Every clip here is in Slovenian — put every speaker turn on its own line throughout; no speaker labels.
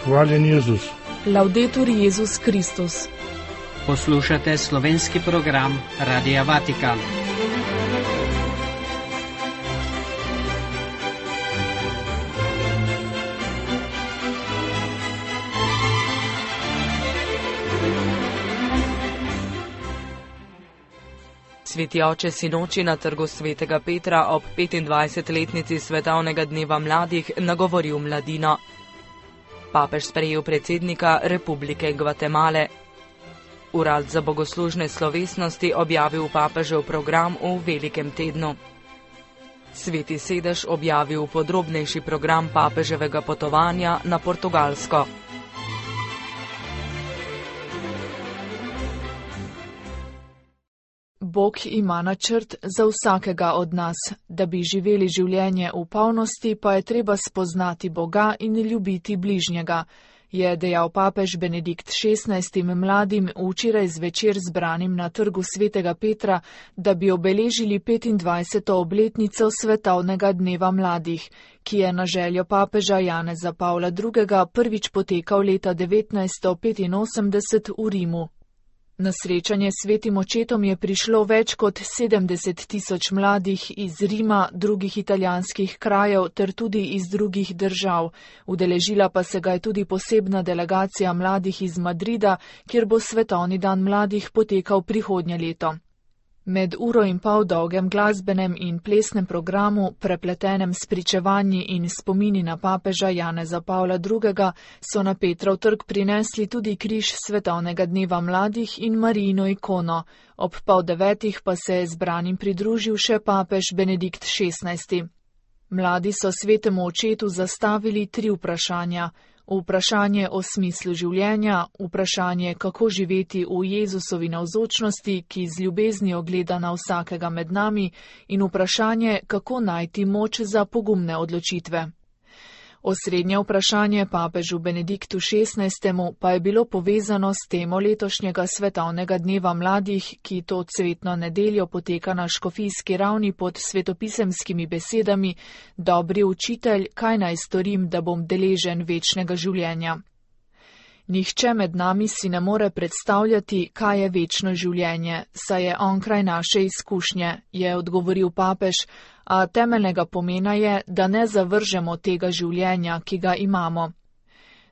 Hvaljen Jezus.
Laudetur Jezus Kristus.
Poslušate slovenski program Radia Vatikan.
Sveti oče sinoči na trgu svetega Petra ob 25-letnici svetovnega dneva mladih nagovoril mladino. Papež sprejel predsednika Republike Gvatemale. Urad za bogoslužne slovesnosti objavil papežev program v velikem tednu. Sveti sedež objavil podrobnejši program papeževega potovanja na Portugalsko. Bog ima načrt za vsakega od nas. Da bi živeli življenje v polnosti, pa je treba spoznati Boga in ljubiti bližnjega, je dejal papež Benedikt XVI mladim včeraj zvečer zbranim na trgu svetega Petra, da bi obeležili 25. obletnico svetovnega dneva mladih, ki je na željo papeža Janeza Pavla II. Prvič potekal leta 1985 v Rimu. Na srečanje s svetim očetom je prišlo več kot 70 000 mladih iz Rima, drugih italijanskih krajev ter tudi iz drugih držav. Udeležila pa se ga je tudi posebna delegacija mladih iz Madrida, kjer bo svetovni dan mladih potekal prihodnje leto. Med uro in pol dolgem glasbenem in plesnem programu, prepletenem s pričevanji in spomini na papeža Janeza Pavla II., so na Petrov trg prinesli tudi križ svetovnega dneva mladih in Marijino ikono. Ob 8:30 pa se je zbranim pridružil še papež Benedikt XVI. Mladi so svetemu očetu zastavili 3 vprašanja. Vprašanje o smislu življenja, vprašanje, kako živeti v Jezusovi navzočnosti, ki z ljubeznijo gleda na vsakega med nami, in vprašanje, kako najti moč za pogumne odločitve. Osrednje vprašanje papežu Benediktu XVI. Pa je bilo povezano s temo letošnjega svetovnega dneva mladih, ki to cvetno nedeljo poteka na škofijski ravni pod svetopisemskimi besedami: Dobri učitelj, kaj naj storim, da bom deležen večnega življenja? Nihče med nami si ne more predstavljati, kaj je večno življenje, saj je onkraj naše izkušnje, je odgovoril papež, a temeljnega pomena je, da ne zavržemo tega življenja, ki ga imamo.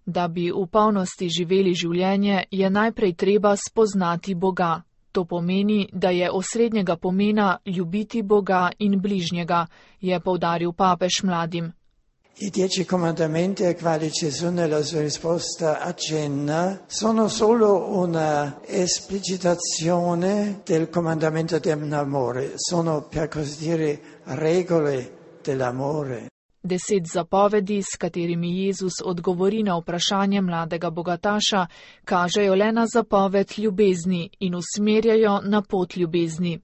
Da bi v polnosti živeli življenje, je najprej treba spoznati Boga. To pomeni, da je osrednjega pomena ljubiti Boga in bližnjega, je poudaril papež mladim.
I 10 comandamenti ai quali Gesù nella sua risposta accenna sono solo una esplicitazione del comandamento dell'amore, sono per così dire regole dell'amore.
10 zapovedi, s katerimi Jezus odgovori na vprašanje mladega bogataša, kažejo le na zapoved ljubezni in usmerjajo na pot ljubezni.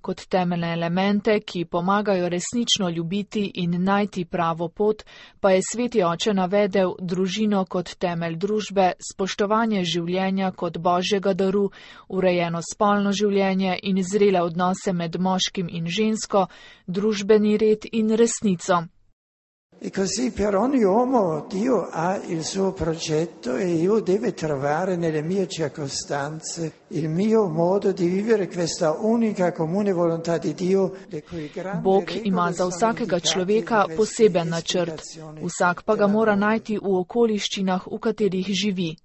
Kot temeljne elemente, ki pomagajo resnično ljubiti in najti pravo pot, pa je sveti oče navedel družino kot temelj družbe, spoštovanje življenja kot božjega daru, urejeno spolno življenje in zrele odnose med moškim in žensko, družbeni red in resnico.
E così per ogni uomo Dio ha il suo progetto e io devo trovare nelle mie circostanze il mio modo di vivere questa unica comune volontà di Dio.
Bog ima za vsakega človeka poseben načrt, vsak pa ga mora najti v okoliščinah, v katerih živi.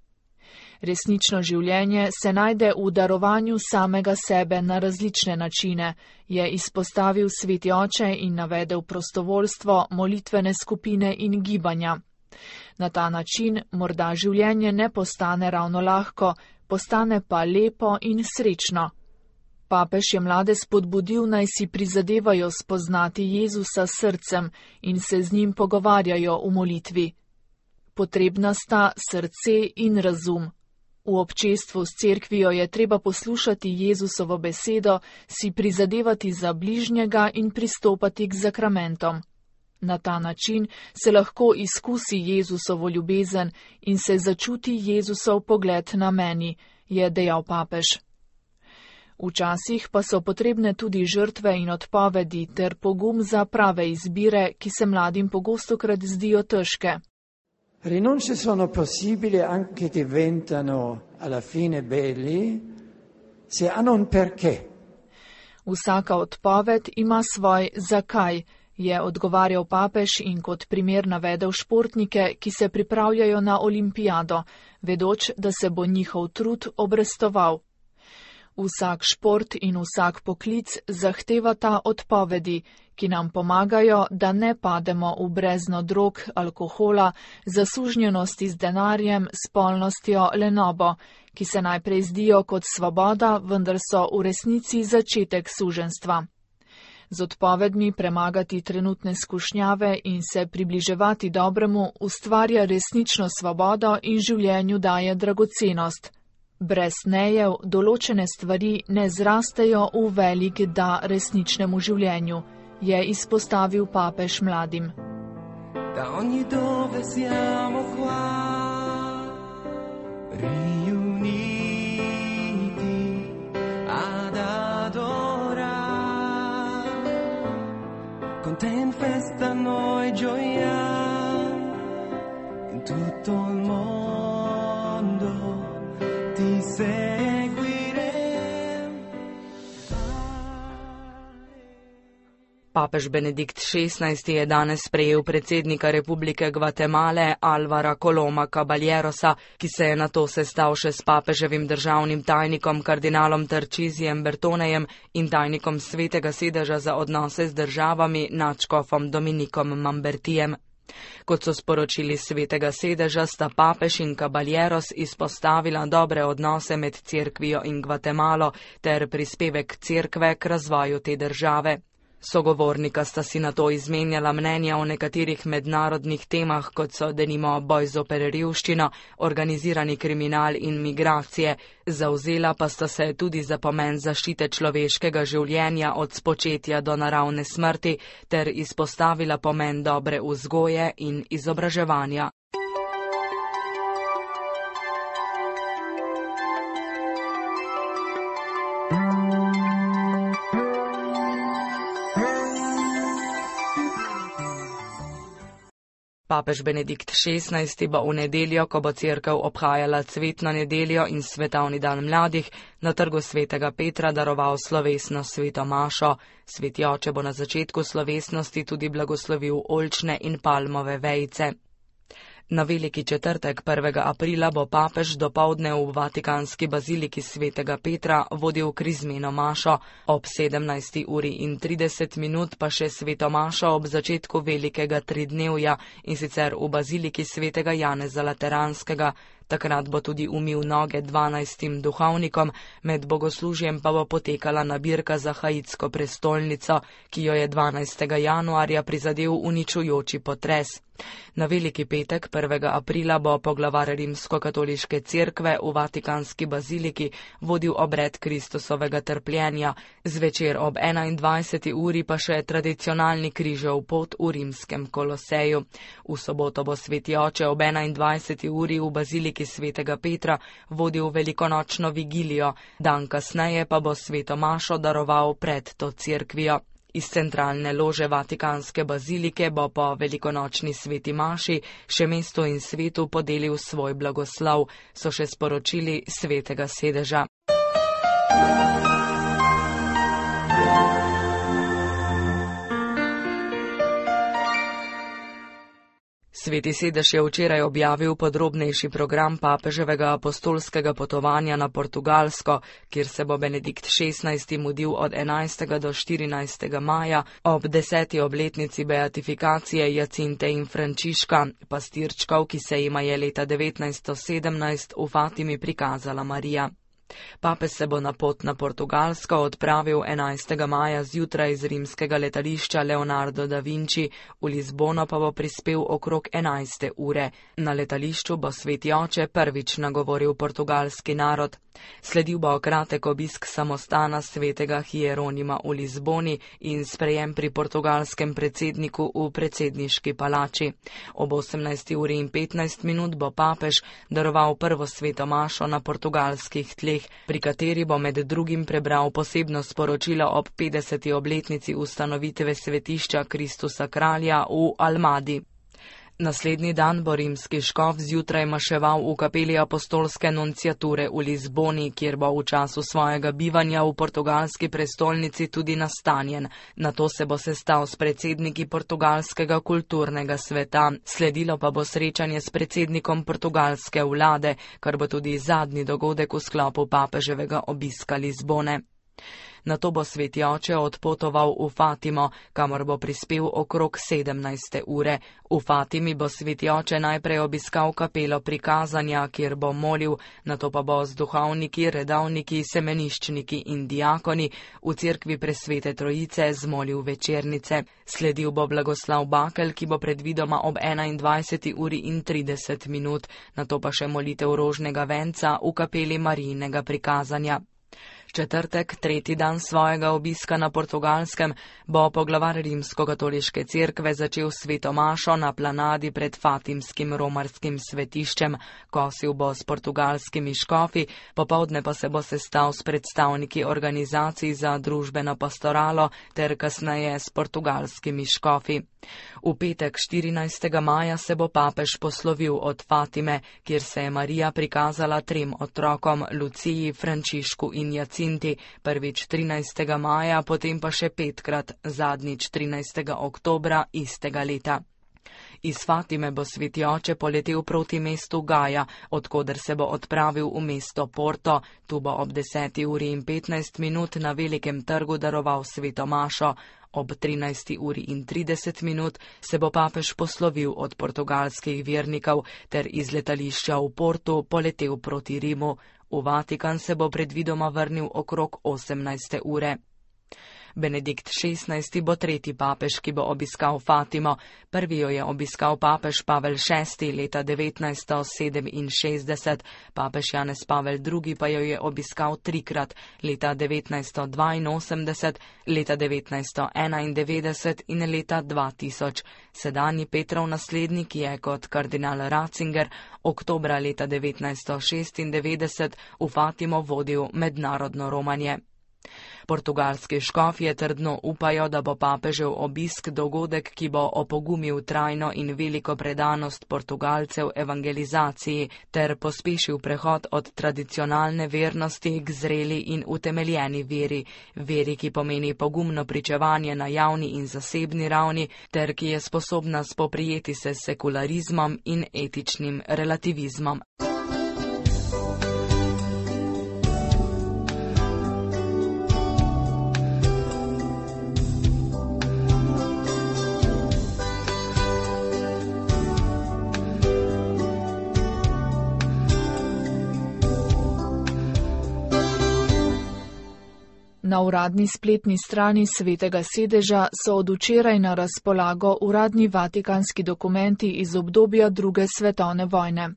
Resnično življenje se najde v darovanju samega sebe na različne načine, je izpostavil sveti oče in navedel prostovoljstvo, molitvene skupine in gibanja. Na ta način morda življenje ne postane ravno lahko, postane pa lepo in srečno. Papež je mlade spodbudil, naj si prizadevajo spoznati Jezusa s srcem in se z njim pogovarjajo v molitvi. Potrebna sta srce in razum. V občestvu s cerkvijo je treba poslušati Jezusovo besedo, si prizadevati za bližnjega in pristopati k zakramentom. Na ta način se lahko izkusi Jezusovo ljubezen in se začuti Jezusov pogled na meni, je dejal papež. Včasih pa so potrebne tudi žrtve in odpovedi ter pogum za prave izbire, ki se mladim pogostokrat zdijo težke.
Rinunce sono possibili, anche diventano alla fine belli, se hanno un perché.
Vsaka odpoved ima svoj zakaj, je odgovarjal papež in kot primer navedel športnike, ki se pripravljajo na olimpijado, vedoč, da se bo njihov trud obrestoval. Vsak šport in vsak poklic zahtevata odpovedi, ki nam pomagajo, da ne pademo v brezno drog, alkohola, zasužnjenosti z denarjem, spolnostjo, lenobo, ki se najprej zdijo kot svoboda, vendar so v resnici začetek suženjstva. Z odpovedmi premagati trenutne skušnjave in se približevati dobremu ustvarja resnično svobodo in življenju daje dragocenost. Brez nejev določene stvari ne zrastejo v velik da resničnemu življenju, je izpostavil papež mladim.
Da ogni dove siamo qua, riuniti ad adorar, con te in festa noi gioiamo, in tutto il mondo ti seguirem.
Papež Benedikt XVI je danes sprejel predsednika Republike Gvatemale Alvara Coloma Caballerosa, ki se je nato sestal še s papeževim državnim tajnikom kardinalom Tarcisijem Bertonejem in tajnikom Svetega sedeža za odnose z državami nadškofom Dominikom Mambertijem. Kot so sporočili Svetega sedeža, sta papež in Caballeros izpostavila dobre odnose med Cerkvijo in Gvatemalo ter prispevek Cerkve k razvoju te države. Sogovornika sta si nato izmenjala mnenja o nekaterih mednarodnih temah, kot so denimo boj zoper revščino, organizirani kriminal in migracije, zavzela pa sta se tudi za pomen zaščite človeškega življenja od spočetja do naravne smrti ter izpostavila pomen dobre vzgoje in izobraževanja. Papež Benedikt XVI bo v nedeljo, ko bo cerkev obhajala cvetno nedeljo in svetovni dan mladih, na trgu Svetega Petra daroval slovesno sveto mašo. Sveti oče bo na začetku slovesnosti tudi blagoslovil oljčne in palmove vejice. Na veliki četrtek 1. aprila bo papež dopoldne v vatikanski baziliki Svetega Petra vodil krizmeno mašo, ob 17:30 pa še sveto mašo ob začetku velikega tridnevja, in sicer v baziliki Svetega Janeza Lateranskega. Takrat bo tudi umil noge 12 duhovnikom, med bogoslužjem pa bo potekala nabirka za haitsko prestolnico, ki jo je 12. januarja prizadel uničujoči potres. Na veliki petek 1. aprila bo poglavar Rimskokatoliške cerkve v vatikanski baziliki vodil obred Kristusovega trpljenja, zvečer ob 21. uri pa še tradicionalni križev pot v rimskem Koloseju. V soboto bo sveti oče ob 21. uri v baziliki Svetega Petra vodil velikonočno vigilijo, dan kasneje pa bo sveto mašo daroval pred to cerkvijo. Iz centralne lože vatikanske bazilike bo po velikonočni sveti maši še mestu in svetu podelil svoj blagoslov, so še sporočili Svetega sedeža. Sveti sedež je včeraj objavil podrobnejši program papeževega apostolskega potovanja na Portugalsko, kjer se bo Benedikt XVI mudil od 11. do 14. maja ob 10. obletnici beatifikacije Jacinte in Frančiška, pastirčkov, ki se jima je leta 1917 v Fatimi prikazala Marija. Papež se bo na pot na Portugalsko odpravil 11. maja zjutraj z rimskega letališča Leonardo da Vinci, v Lizbono pa bo prispel okrog 11. ure. Na letališču bo sveti oče prvič nagovoril portugalski narod. Sledil bo kratek obisk samostana svetega Hieronima v Lizboni in sprejem pri portugalskem predsedniku v predsedniški palači. Ob 18:15 bo papež daroval prvo sveto mašo na portugalskih tleh, pri kateri bo med drugim prebral posebno sporočilo ob 50. obletnici ustanovitve svetišča Kristusa kralja v Almadi. Naslednji dan bo rimski škof zjutraj maševal v kapeli apostolske nunciature v Lizboni, kjer bo v času svojega bivanja v portugalski prestolnici tudi nastanjen. Nato se bo sestal s predsedniki portugalskega kulturnega sveta, sledilo pa bo srečanje s predsednikom portugalske vlade, kar bo tudi zadnji dogodek v sklopu papeževega obiska Lizbone. Nato bo sveti oče odpotoval v Fatimo, kamor bo prispel okrog 17. ure. V Fatimi bo sveti oče najprej obiskal kapelo prikazanja, kjer bo molil, nato pa bo z duhovniki, redavniki, semeniščniki in diakoni v cerkvi Presvete Trojice zmolil večernice. Sledil bo blagoslav bakel, ki bo predvidoma ob 21. uri in 30 minut, nato pa še molitev rožnega venca v kapeli Marijinega prikazanja. Četrtek, tretji dan svojega obiska na Portugalskem, bo poglavar Rimsko-katoliške cerkve začel sveto mašo na planadi pred Fatimskim romarskim svetiščem. Kosil bo s portugalskimi škofi, popoldne pa se bo sestal s predstavniki organizacij za družbeno pastoralo ter kasneje s portugalskimi škofi. V petek 14. maja se bo papež poslovil od Fatime, kjer se je Marija prikazala 3 otrokom, Luciji, Frančišku in Jacinti, prvič 13. maja, potem pa še 5-krat, zadnjič 13. oktobra istega leta. Iz Fatime bo sveti oče poletel proti mestu Gaja, odkoder se bo odpravil v mesto Porto. Tu bo ob 10. uri in 15 minut na Velikem trgu daroval sveto mašo. Ob 13. uri in 30 minut se bo papež poslovil od portugalskih vernikov ter iz letališča v Portu poletel proti Rimu. V Vatikan se bo predvidoma vrnil okrog 18. ure. Benedikt XVI bo tretji papež, ki bo obiskal Fatimo. Prvi jo je obiskal papež Pavel VI leta 1967, papež Janez Pavel II pa jo je obiskal 3-krat, leta 1982, leta 1991 in leta 2000. Sedanji Petrov naslednik je kot kardinal Ratzinger oktobra leta 1996 v Fatimo vodil mednarodno romanje. Portugalski škofje trdno upajo, da bo papežev obisk dogodek, ki bo opogumil trajno in veliko predanost Portugalcev evangelizaciji ter pospešil prehod od tradicionalne vernosti k zreli in utemeljeni veri, ki pomeni pogumno pričevanje na javni in zasebni ravni ter ki je sposobna spoprijeti se s sekularizmom in etičnim relativizmom.
Na uradni spletni strani Svetega sedeža so od včeraj na razpolago uradni vatikanski dokumenti iz obdobja II. Svetovne vojne.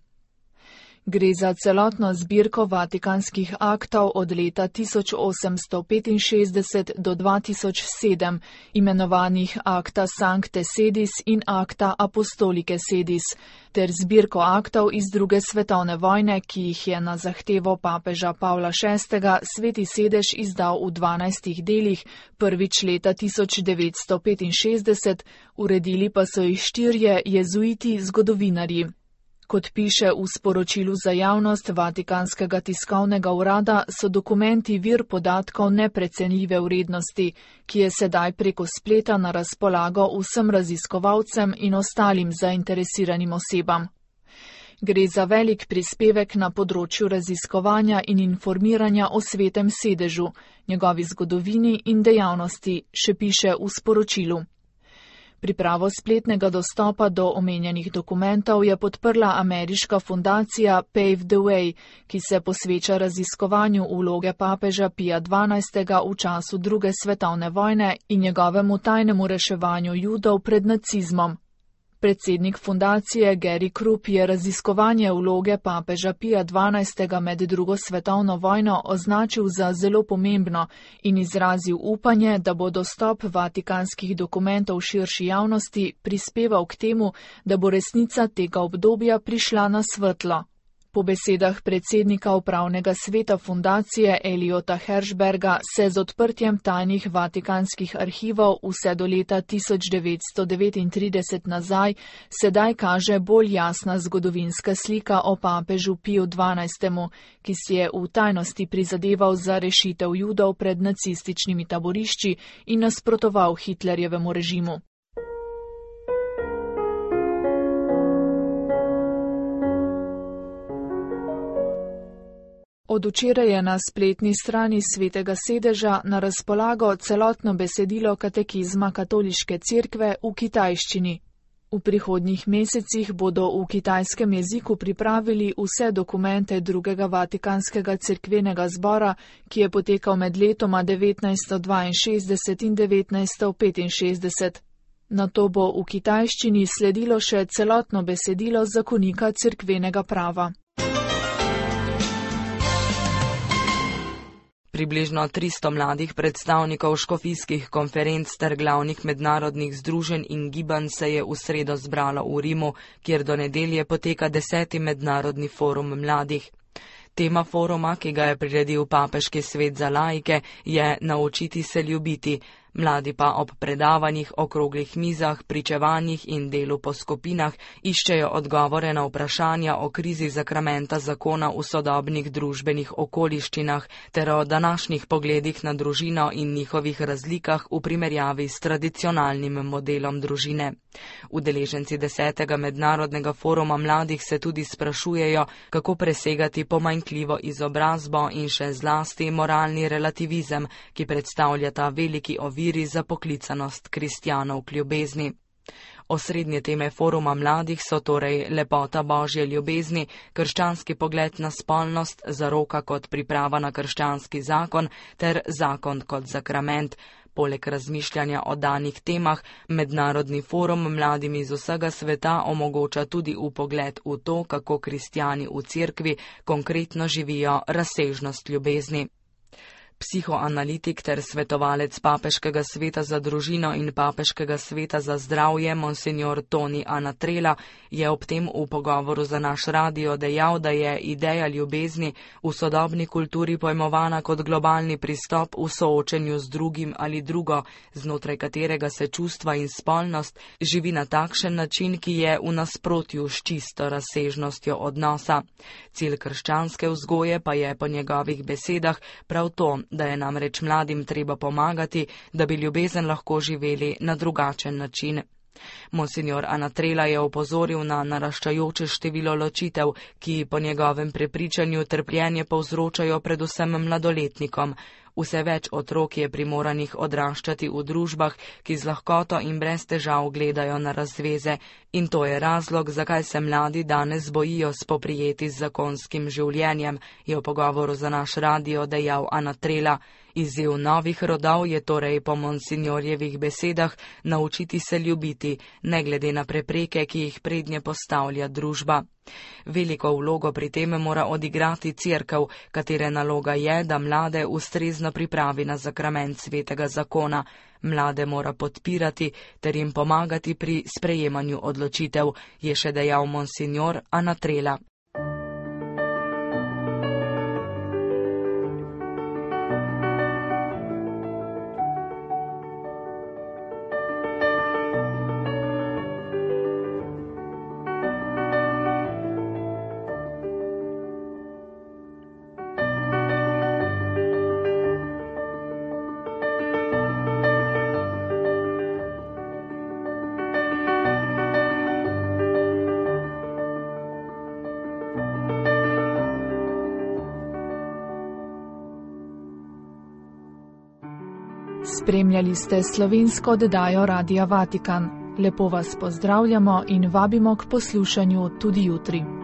Gre za celotno zbirko vatikanskih aktov od leta 1865 do 2007, imenovanih Acta Sancte Sedis in Acta Apostolike Sedis, ter zbirko aktov iz II. Svetovne vojne, ki jih je na zahtevo papeža Pavla VI. Sveti sedež izdal v 12 delih, prvič leta 1965, uredili pa so jih 4 jezuiti zgodovinarji. Kot piše v sporočilu za javnost Vatikanskega tiskovnega urada, so dokumenti vir podatkov neprecenljive vrednosti, ki je sedaj preko spleta na razpolago vsem raziskovalcem in ostalim zainteresiranim osebam. Gre za velik prispevek na področju raziskovanja in informiranja o Svetem sedežu, njegovi zgodovini in dejavnosti, še piše v sporočilu. Pripravo spletnega dostopa do omenjenih dokumentov je podprla ameriška fundacija Pave the Way, ki se posveča raziskovanju vloge papeža Pija XII. V času II. Svetovne vojne in njegovemu tajnemu reševanju Judov pred nacizmom. Predsednik fundacije Gary Krupp je raziskovanje vloge papeža Pija XII. Med II. Svetovno vojno označil za zelo pomembno in izrazil upanje, da bo dostop vatikanskih dokumentov širši javnosti prispeval k temu, da bo resnica tega obdobja prišla na svetlo. Po besedah predsednika upravnega sveta fundacije Eliota Hershberga se z odprtjem tajnih vatikanskih arhivov vse do leta 1939 nazaj sedaj kaže bolj jasna zgodovinska slika o papežu Piju XII., ki si je v tajnosti prizadeval za rešitev Judov pred nacističnimi taborišči in nasprotoval Hitlerjevemu režimu. Od včeraj je na spletni strani Svetega sedeža na razpolago celotno besedilo katekizma Katoliške cerkve v kitajščini. V prihodnjih mesecih bodo v kitajskem jeziku pripravili vse dokumente drugega vatikanskega cerkvenega zbora, ki je potekal med letoma 1962 in 1965. Nato bo v kitajščini sledilo še celotno besedilo zakonika cerkvenega prava.
Približno 300 mladih predstavnikov škofijskih konferenc ter glavnih mednarodnih združenj in gibanj se je v sredo zbralo v Rimu, kjer do nedelje poteka 10. mednarodni forum mladih. Tema foruma, ki ga je priredil Papeški svet za laike, je Naučiti se ljubiti. Mladi pa ob predavanjih, okroglih mizah, pričevanjih in delu po skupinah iščejo odgovore na vprašanja o krizi zakramenta zakona v sodobnih družbenih okoliščinah ter o današnjih pogledih na družino in njihovih razlikah v primerjavi s tradicionalnim modelom družine. Udeleženci 10. mednarodnega foruma mladih se tudi sprašujejo, kako presegati pomanjkljivo izobrazbo in še zlasti moralni relativizem, ki predstavlja ta veliki ovir za poklicanost kristjanov k ljubezni. Osrednje teme foruma mladih so torej lepota Božje ljubezni, krščanski pogled na spolnost, zaroka kot priprava na krščanski zakon ter zakon kot sakrament. Poleg razmišljanja o danih temah, mednarodni forum mladim iz vsega sveta omogoča tudi vpogled v to, kako kristjani v cerkvi konkretno živijo razsežnost ljubezni. Psihoanalitik ter svetovalec Papeškega sveta za družino in Papeškega sveta za zdravje monsignor Toni Anatrela je ob tem v pogovoru za naš radio dejal, da je ideja ljubezni v sodobni kulturi pojmovana kot globalni pristop v soočenju z drugim ali drugo, znotraj katerega se čustva in spolnost živi na takšen način, ki je v nasprotju s čisto razsežnostjo odnosa. Cilj krščanske vzgoje pa je po njegovih besedah prav to, da je namreč mladim treba pomagati, da bi ljubezen lahko živeli na drugačen način. Monsignor Anatrela je opozoril na naraščajoče število ločitev, ki po njegovem prepričanju trpljenje povzročajo predvsem mladoletnikom. Vse več otrok je primoranih odraščati v družbah, ki z lahkoto in brez težav gledajo na razveze, in to je razlog, zakaj se mladi danes bojijo spoprijeti z zakonskim življenjem, je v pogovoru za naš radio dejal Anatrela. Izziv novih rodov je torej po monsignorjevih besedah naučiti se ljubiti, ne glede na prepreke, ki jih prednje postavlja družba. Veliko vlogo pri tem mora odigrati cerkev, katere naloga je, da mlade ustrezno pripravi na sakrament svetega zakona. Mlade mora podpirati ter jim pomagati pri sprejemanju odločitev, je še dejal monsignor Anatrela.
Spremljali ste slovensko oddajo Radia Vatikan. Lepo vas pozdravljamo in vabimo k poslušanju tudi jutri.